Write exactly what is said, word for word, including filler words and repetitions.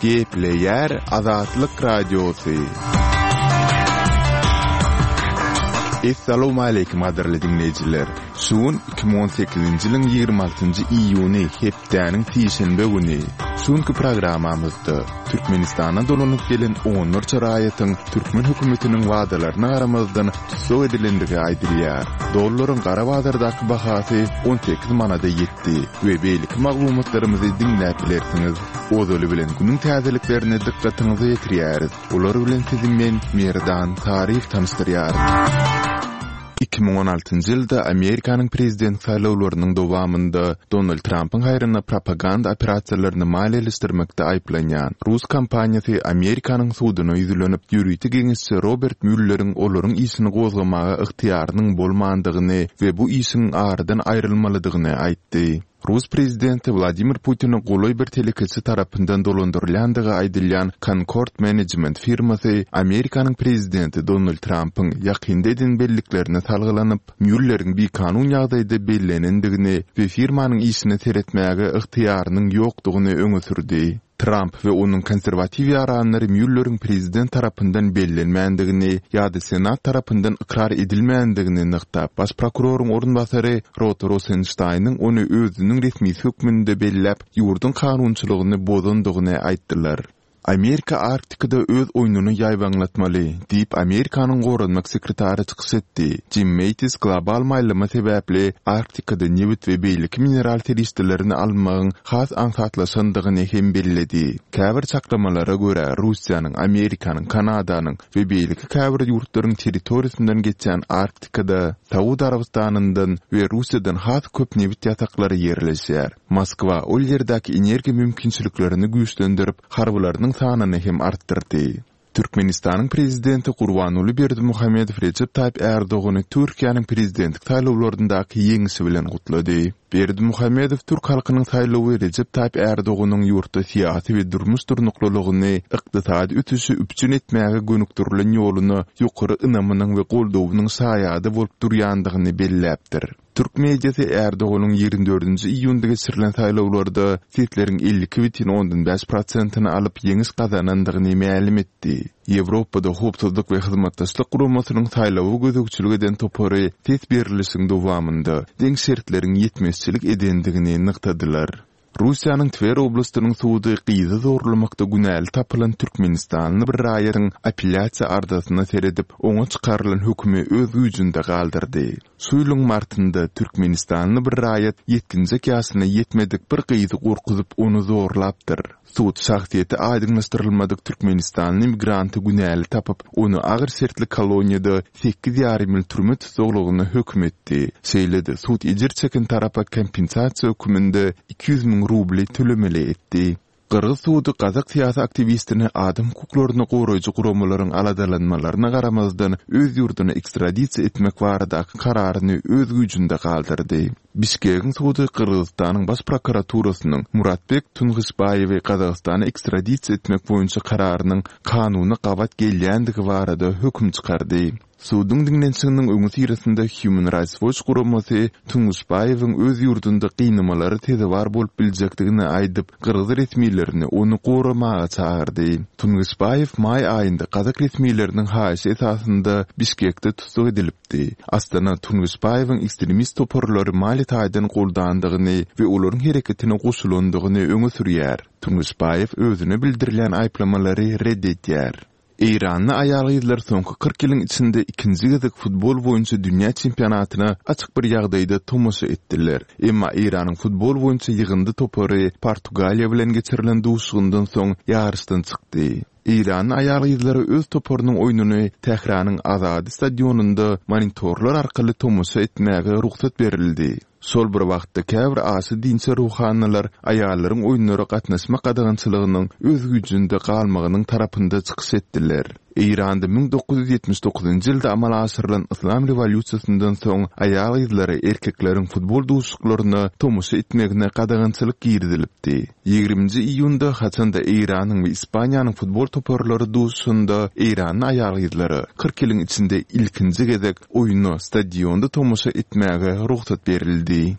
Gepleýär Azatlyk Radiosy. Essalawmaleýkim gadyrly diňleýjiler! Şu gün iki müň on sekizinji ýylyň ýigrimi altynjy iýuny hepdäniň sişenbe güni. Şu günki programmamyzda Türkmenistana dolanyp gelen onlarça raýatyň türkmen hökümetiniň wadalaryna garamazdan tussag edilendigi aýdylýar. Dollaryň gara bazardaky bahasy on sekiz manada ýetdi we beýleki maglumatlarymyzy diňläp bilersiňiz. Ozaly bilen günüň täzeliklerini dykgatyňyza ýetirýäris. Olar bilen sizi men, Merdan Taryýew tanyşdyrýaryn. Iki müň on altynjy ýylda Amerikanyň prezident saýlawlarynyň dowamynda Donald Trampyň haýryna propaganda operasiýalaryny maliýeleşdirmekde aýyplanýan rus kompaniýasy Amerikanyň suduna ýüzlenip, ýörite geňeşçi Robert Mülleriň olaryň işini gozgamaga ygtyýarynyň bolmandygyny we bu işiň aradan aýrylmalydygyny aýtdy. Rus prezidenti Wladimir Putine golaý bir telekeçi tarapyndan dolandyrylýandygy aýdylýan Concord Management firmasy Amerikanyň prezidenti Donald Trampyň ýakynda eden belliklerine salgylanyp, Mülleriň bikanun ýagdaýda bellenendigini we firmanyň işine seretmäge ygtyýarynyň ýokdugyny öňe sürdi. Tramp we onuň konserwatiw ýaranlary Mülleriň prezident tarapyndan bellenmändigini ýa-da Senat tarapyndan ykrar edilmändigini nygtap, baş prokuroryň orunbasary Rod Rosensteiniň ony özüniň resmisi hökmünde belläp, ýurduň kanunçylygyny bozandygyny aýtdylar. Amerika Arktikada öz oýnuny ýaýbaňlatmaly, diýip, Amerikanyň goranmak sekretary çykyş etdi. Jim Mattis global maýlama sebäpli Arktikada nebit we beýleki mineral serişdelerini almagyň has aňsatlaşandygyny hem belledi. Käbir çaklamalara görä, Russiýanyň, Amerikanyň, Kanadanyň we beýleki käbir ýurtlaryň territoriýasyndan geçýän Arktikada Saud Arabystanyndan we Russiýadan has köp nebit ýataklary ýerleşýär. Moskwa ol ýerdäki energiýa mümkinçiliklerini güýçlendirip, harbylarynyň sanyny hem artdyrdy. Türkmenistanyň prezidenti Gurbanguly Berdimuhamedow Rejep Taýyp Ärdogany Türkiýäniň prezidentlik saýlawlaryndaky ýeňşi bilen gutlady. Berdimuhamedow türk halkynyň saýlawy Rejep Taýyp Ärdoganyň ýurtda syýasy we durmuş durnuklylygyny, ykdysady ösüşi üpjün etmäge gönükdirilen ýoluna ýokary ynamynyň we goldawynyň şaýady bolup durýandygyny belläpdir. Türk mediasy Ärdoganyň ýigrimi dördünji iýunda geçirilen saýlawlarda sesleriň elli iki bütin ondan bäş prosentini alyp ýeňiş gazanandygyny mälim etdi. Ýewropada Howpsuzlyk we Hyzmatdaşlyk Guramasynyň saýlawa gözegçilik eden topary ses berlişiň dowamynda deň şertleriň ýetmezçilik edendigini nygtadylar. Russiýanyň Twer oblastynyň sudy gyzy zorlamakda günäli tapylan türkmenistanly bir raýatyň apellýasiýa arzasyna seredip, oňa çykarylan hökümi öz güýjünde galdyrdy. Şu ýylyň martynda türkmenistanly bir raýat ýetginjek ýaşyna ýetmedik bir gyzy gorkuzyp, ony zorlapdyr. Sud şahsyýeti aýdyňlaşdyrylmadyk türkmenistanly migranty günäli tapyp, ony agyr şertli koloniýada sekiz ýarym ýyl türme tussaglygyna höküm etdi. Şeýle-de sud ejir çeken tarapa kompensasiýa hökmünde iki ýüz müň rubly tölemeli etdi. Gyrgyz sudy gazak syýasy aktiwistini adam hukuklaryny goraýjy guramalaryň aladalanmalaryna garamazdan öz ýurduna ekstradisiýa etmek baradaky kararyny öz güýjünde galdyrdy. Bişkegiň sudy Gyrgyzystanyň baş prokuraturasynyň Muratbek Tungyşbaýewi Gazagystana ekstradisiýa etmek boýunça kararynyň kanuna gabat gelýändigi barada höküm çykardy. Suduň diňlenişiginiň öňüsyrasynda Human Rights Watch guramasy Tungyşbaýewiň öz ýurdunda gynamalara sezewar bolup biljekdigini aýdyp, gyrgyz resmilerini ony goramaga çagyrdy. Tungyşbaýew maý aýynda gazak resmileriniň haýyşy esasynda Bişkekde tussag edilipdi. Astana Tungyşbaýewiň ekstremist toparlary maliýe taýdan goldandygyny we olaryň hereketine goşulandygyny öňe sürýär. Tungyşbaýew özüne bildirilýän aýyplamalary red edýär. Eýranly aýal-gyzlar soňky kyrk ýylyň içinde ikinji gezek futbol boýunça dünýä çempionatyna açyk bir ýagdaýda tomaşa etdiler. Emma Eýranyň futbol boýunça ýygyndy topary Portugaliýa bilen geçirilen duşuşygyndan soň ýaryşdan çykdy. Eýranly aýal-gyzlara öz toparynyň oýnuny Tähranyň Azady stadionynda monitorlar arkaly tomaşa etmäge rugsat berildi. Şol bir wagtda käbir aşa dinçi ruhanylar aýallaryň oýunlara gatnaşmak gadagançylygynyň öz güýjünde galmagynyň tarapynda çykyş etdiler. Eýranda müň dokuz ýüz ýetmiş dokuzynjy ýylda amala aşyrylan Yslam rewolýusiýasyndan soň aýal-gyzlara erkekleriň futbol duşuşyklaryna tomaşa etmegine gadagançylyk girizilipdi. Ýigriminji iýunda haçanda Eýranyň we Ispaniýanyň futbol toparlary duşuşanda eýranly aýal-gyzlara kyrk ýylyň içinde ilkinji gezek oýuna stadionda tomaşa etmäge rugsat berildi.